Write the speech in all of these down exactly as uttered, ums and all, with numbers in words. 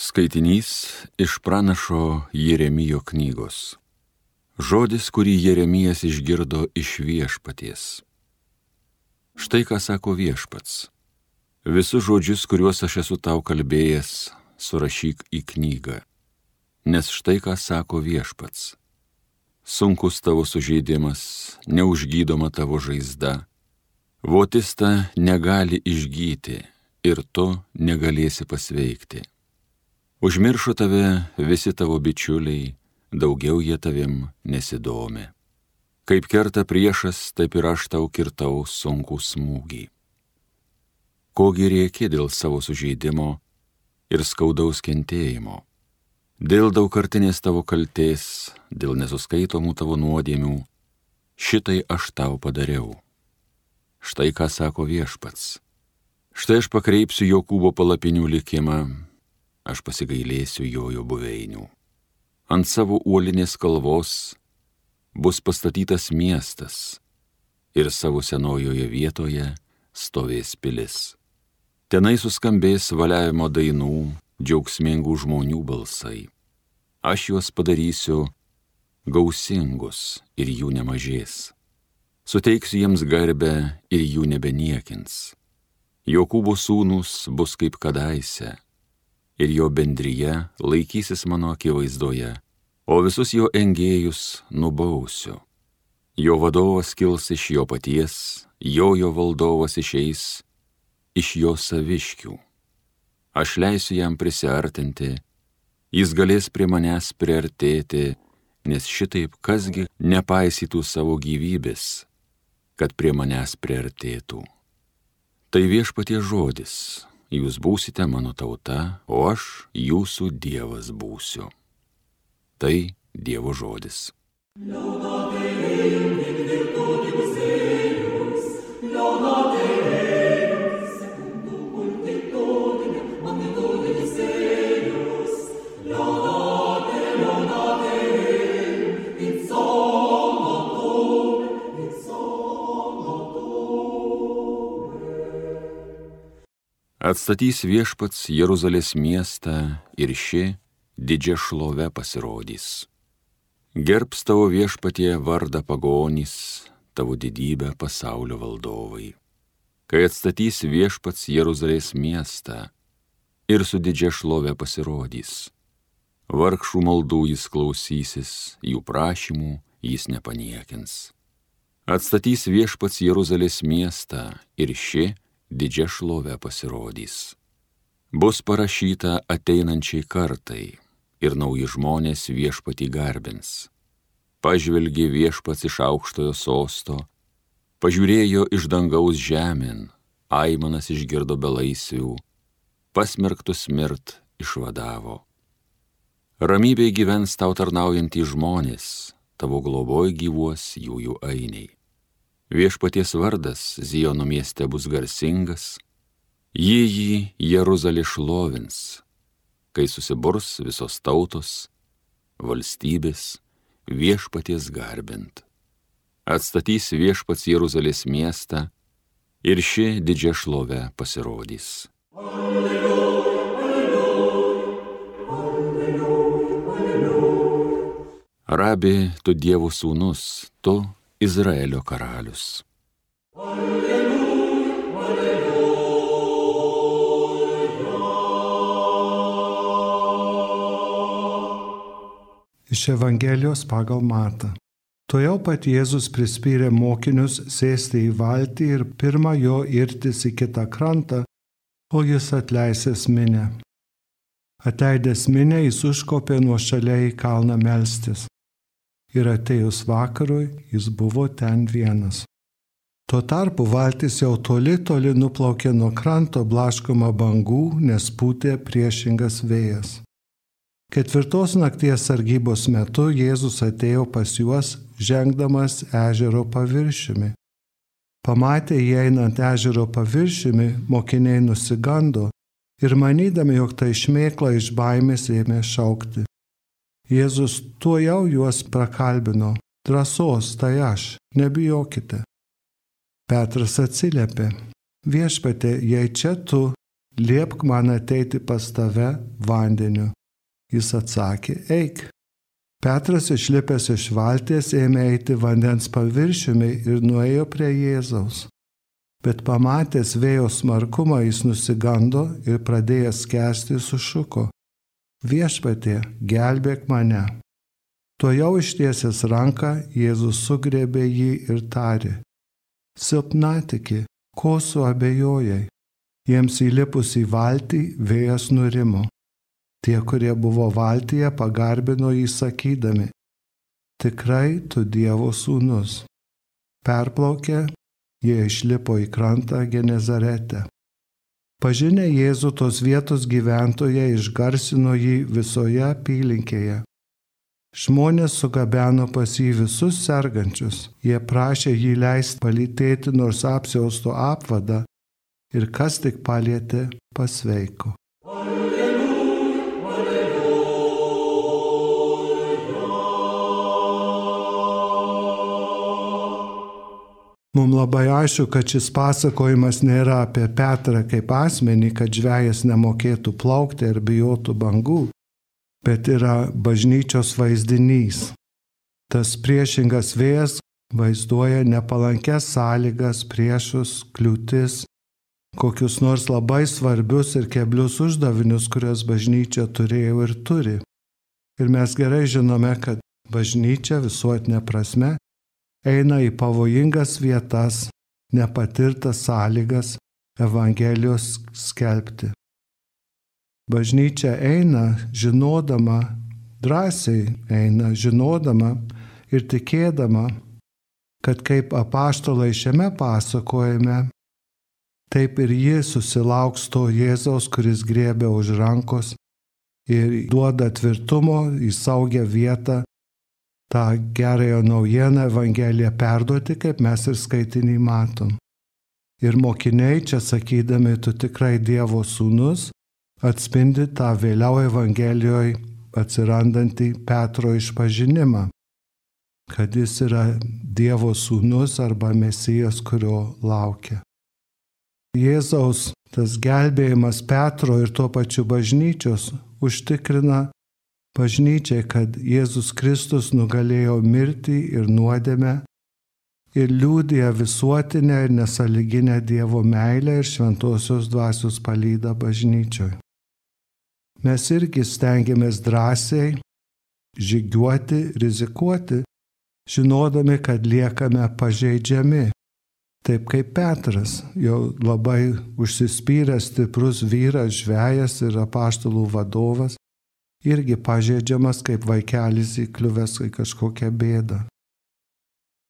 Skaitinys iš pranašo Jeremijo knygos. Žodis, kurį Jeremijas išgirdo iš viešpaties. Štai ką sako viešpats. Visus žodžius, kuriuos aš esu tau kalbėjęs, surašyk į knygą. Nes štai ką sako viešpats. Sunkus tavo sužeidimas, neužgydoma tavo žaizda. Votista negali išgyti ir tu negalėsi pasveikti. Užmiršo tave visi tavo bičiuliai, daugiau jie tavim nesidomi. Kaip kerta priešas, taip ir aš tau kirtau sunkų smūgį. Kogi rėki dėl savo sužeidimo ir skaudaus kentėjimo, dėl daugkartinės tavo kaltės, dėl nesuskaitomų tavo nuodėmių, šitai aš tau padariau. Štai ką sako viešpats. Štai aš pakreipsiu Jokūbo palapinių likimą, aš pasigailėsiu jojo buveinių. Ant savo uolinės kalvos bus pastatytas miestas ir savo senojoje vietoje stovės pilis. Tenai suskambės valiavimo dainų, džiaugsmingų žmonių balsai. Aš juos padarysiu gausingus ir jų nemažės. Suteiksiu jiems garbę ir jų nebeniekins. Jokūbo sūnūs bus kaip kadaise, ir jo bendryje laikysis mano akivaizdoje, o visus jo engėjus nubausiu. Jo vadovas kils iš jo paties, jojo valdovas išeis iš jo saviškių. Aš leisiu jam prisiartinti, jis galės prie manęs priartėti, nes šitaip kasgi nepaisytų savo gyvybės, kad prie manęs priartėtų. Tai viešpaties žodis. Jūs būsite mano tauta, o aš jūsų Dievas būsiu. Tai Dievo žodis. Atstatys viešpats Jeruzalės miestą ir ši didžia šlove pasirodys. Gerbs tavo viešpatie vardą pagonys, tavo didybę pasaulio valdovai. Kai atstatys viešpats Jeruzalės miestą ir su didžia šlove pasirodys. Vargšų maldų jis klausysis, jų prašymų jis nepaniekins. Atstatys viešpats Jeruzalės miestą ir ši didžia šlove pasirodys. Bus parašyta ateinančiai kartai ir nauji žmonės viešpatį garbins. Pažvelgė viešpats iš aukštojo sosto, pažiūrėjo iš dangaus žemėn, aimanas išgirdo belaisvių, pasmerktus mirt išvadavo. Ramybėj gyvens tau tarnaujantys žmonės, tavo globoj gyvuos jųjų ainiai. Viešpaties vardas Ziono mieste bus garsingas, jį jį Jeruzalė šlovins, kai susiburs visos tautos, valstybės viešpaties garbint. Atstatys viešpats Jeruzalės miestą ir ši didžia šlove pasirodys. Alleluja, alleluja, alleluja. Rabi, tu Dievo sūnus, tu Izraelio karalius. Alleluja, alleluja. Iš Evangelijos pagal Matą. Tuojau pat Jėzus prispyrė mokinius sėsti į valtį ir pirma jo irtis į kitą krantą, o jis atleisęs minią. Atleidęs minią, jis užkopė nuošaliai į kalną melstis. Ir atėjus vakarui, jis buvo ten vienas. Tuo tarpu valtis jau toli toli nuplaukė nuo kranto blaškoma bangų, nes pūtė priešingas vėjas. Ketvirtos nakties sargybos metu Jėzus atėjo pas juos, žengdamas ežero paviršiumi. Pamatę įeinant ežero paviršiumi, mokiniai nusigando ir manydami, jog tai šmėkla iš baimės ėmė šaukti. Jėzus tuojau juos prakalbino, drąsos, tai aš, nebijokite. Petras atsiliepė, viešpatie, jei čia tu, liepk man ateiti pas tave vandeniu. Jis atsakė, eik. Petras išlipęs iš valties ėmė eiti vandens paviršiumi ir nuėjo prie Jėzaus. Bet pamatęs vėjo smarkumą jis nusigando ir pradėjęs skęsti sušuko, viešpatie, gelbėk mane. Tuojau ištiesęs ranką, Jėzus sugriebė jį ir tarė, silpnatiki, ko suabejojai? Jiems įlipus į valtį vėjas nurimo. Tie, kurie buvo valtyje, pagarbino jį sakydami, tikrai tu Dievo sūnus. Perplaukę, jie išlipo į krantą Genezarete. Pažinę Jėzų tos vietos gyventojai išgarsino jį visoje apylinkėje. Žmonės sugabeno pas jį visus sergančius. Jie prašė jį leisti palytėti nors apsiausto apvadą ir kas tik palietė, pasveiko. Mums labai aišku, kad šis pasakojimas nėra apie Petrą kaip asmenį, kad žvejas nemokėtų plaukti ar bijotų bangų, bet yra bažnyčios vaizdinys. Tas priešingas vėjas vaizduoja nepalankes sąlygas, priešus, kliūtis, kokius nors labai svarbius ir keblius uždavinius, kuriuos bažnyčia turėjo ir turi. Ir mes gerai žinome, kad bažnyčia visuotinė prasme eina į pavojingas vietas, nepatirtas sąlygas Evangelijos skelbti. Bažnyčia eina žinodama, drąsiai eina žinodama ir tikėdama, kad kaip apaštalai šiame pasakojime, taip ir ji susilauks to Jėzaus, kuris griebia už rankos ir duoda tvirtumo į saugią vietą, tą gerąją naujieną Evangeliją perduoti, kaip mes ir skaitinį matom. Ir mokiniai čia sakydami, tu tikrai Dievo sūnus, atspindi tą vėliau Evangelijoje atsirandantį Petro išpažinimą, kad jis yra Dievo sūnus arba Mesijas, kurio laukia. Jėzaus tas gelbėjimas Petro ir tuo pačiu bažnyčios užtikrina bažnyčiai, kad Jėzus Kristus nugalėjo mirtį ir nuodėmę ir liudija visuotinę ir nesąlyginę Dievo meilę ir šventosios dvasios palydą bažnyčioje. Mes irgi stengiamės drąsiai žygiuoti, rizikuoti, žinodami, kad liekame pažeidžiami. Taip kaip Petras, jau labai užsispyręs stiprus vyras, žvejas ir apaštalų vadovas, irgi pažeidžiamas kaip vaikelis įkliuvęs į kažkokią bėdą.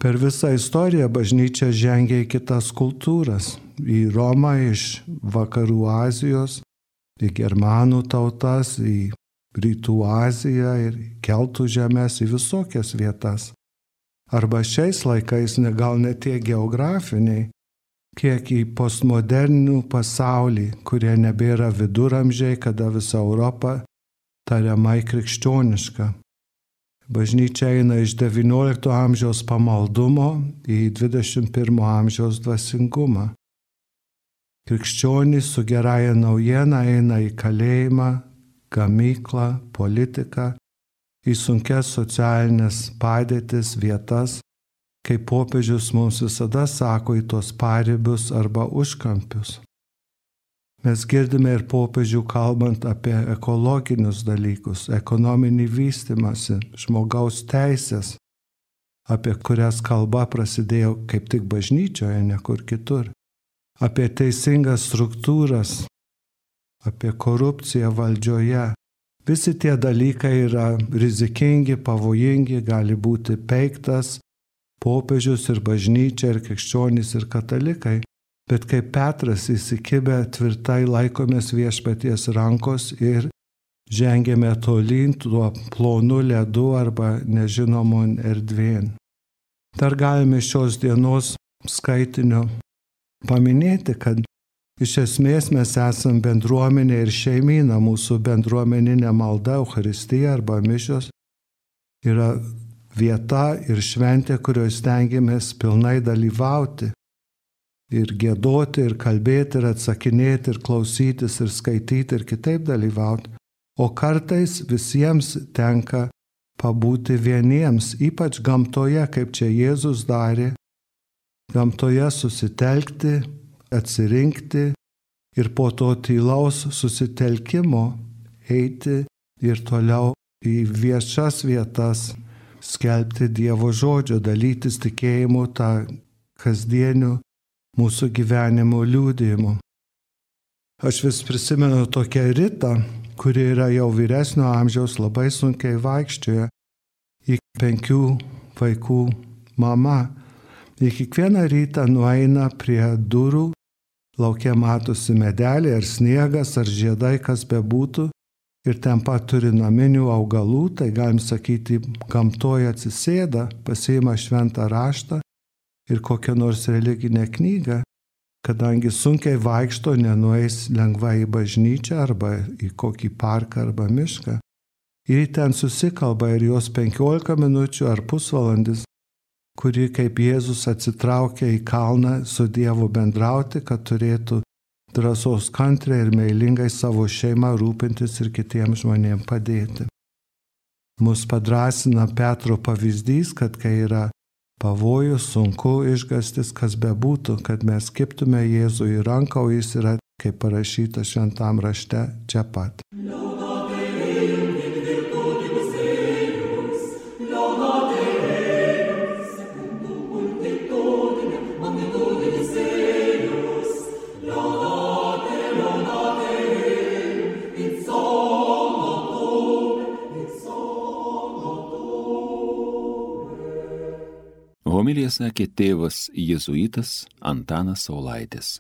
Per visą istoriją bažnyčia žengia į kitas kultūras, į Romą iš vakarų Azijos, į germanų tautas, į rytų Aziją ir keltų žemės į visokias vietas. Arba šiais laikais gal ne tiek geografiniai, kiek į postmodernų pasaulį, kurie nebėra viduramžiai, kada visa Europa tariamai krikščioniška. Bažnyčia eina iš devyniolikto amžiaus pamaldumo į dvidešimt pirmo amžiaus dvasingumą. Krikščionys su gerąja naujiena eina į kalėjimą, gamyklą, politiką, į sunkias socialinės padėtis vietas, kaip popiežius mums visada sako, į tos paribius arba užkampius. Mes girdime ir popiežių kalbant apie ekologinius dalykus, ekonominį vystymąsi, žmogaus teisės, apie kurias kalba prasidėjo kaip tik bažnyčioje, ne kur kitur, apie teisingas struktūras, apie korupciją valdžioje. Visi tie dalykai yra rizikingi, pavojingi, gali būti peiktas popiežius ir bažnyčia ir krikščionys ir katalikai. Bet kaip Petras įsikibę tvirtai laikomės viešpaties rankos ir žengėme tolyn tuo plonu ledu arba nežinomon erdvėn. Dar galime šios dienos skaitinio paminėti, kad iš esmės mes esam bendruomenė ir šeimyna, mūsų bendruomeninė malda, Eucharistija arba mišios yra vieta ir šventė, kurioje stengiamės pilnai dalyvauti. ir giedoti, ir kalbėti, ir atsakinėti, ir klausytis, ir skaityti, ir kitaip dalyvauti. O kartais visiems tenka pabūti vieniems, ypač gamtoje, kaip čia Jėzus darė, gamtoje susitelkti, atsirinkti ir po to tylaus susitelkimo eiti ir toliau į viešas vietas skelbti Dievo žodžio, dalytis tikėjimu tą kasdieniu mūsų gyvenimo liudijimu. Aš vis prisimenu tokią Ritą, kuri yra jau vyresnio amžiaus, labai sunkiai vaikščioja, į penkių vaikų mama. Ir kiekvieną rytą nueina prie durų, lauke matosi medeliai ar sniegas ar žiedai, kas bebūtų, ir ten pat turi naminių augalų, tai galim sakyti, gamtoje atsisėda, pasiima šventą raštą ir kokią nors religinę knygą, kadangi sunkiai vaikšto, nenueis lengvai į bažnyčią arba į kokį parką arba mišką. Ir ten susikalba ir jos penkiolika minučių ar pusvalandis, kuri kaip Jėzus atsitraukia į kalną su Dievu bendrauti, kad turėtų drąsos kantriai ir meilingai savo šeimą rūpintis ir kitiems žmonėms padėti. Mus padrasina Petro pavyzdys, kad kai yra pavojus, sunku, išgąstis, kas bebūtų, kad mes kibtume Jėzui į ranką, o jis yra, kaip parašyta šventam rašte, čia pat. Homiliją sakė tėvas jėzuitas Antanas Saulaitis.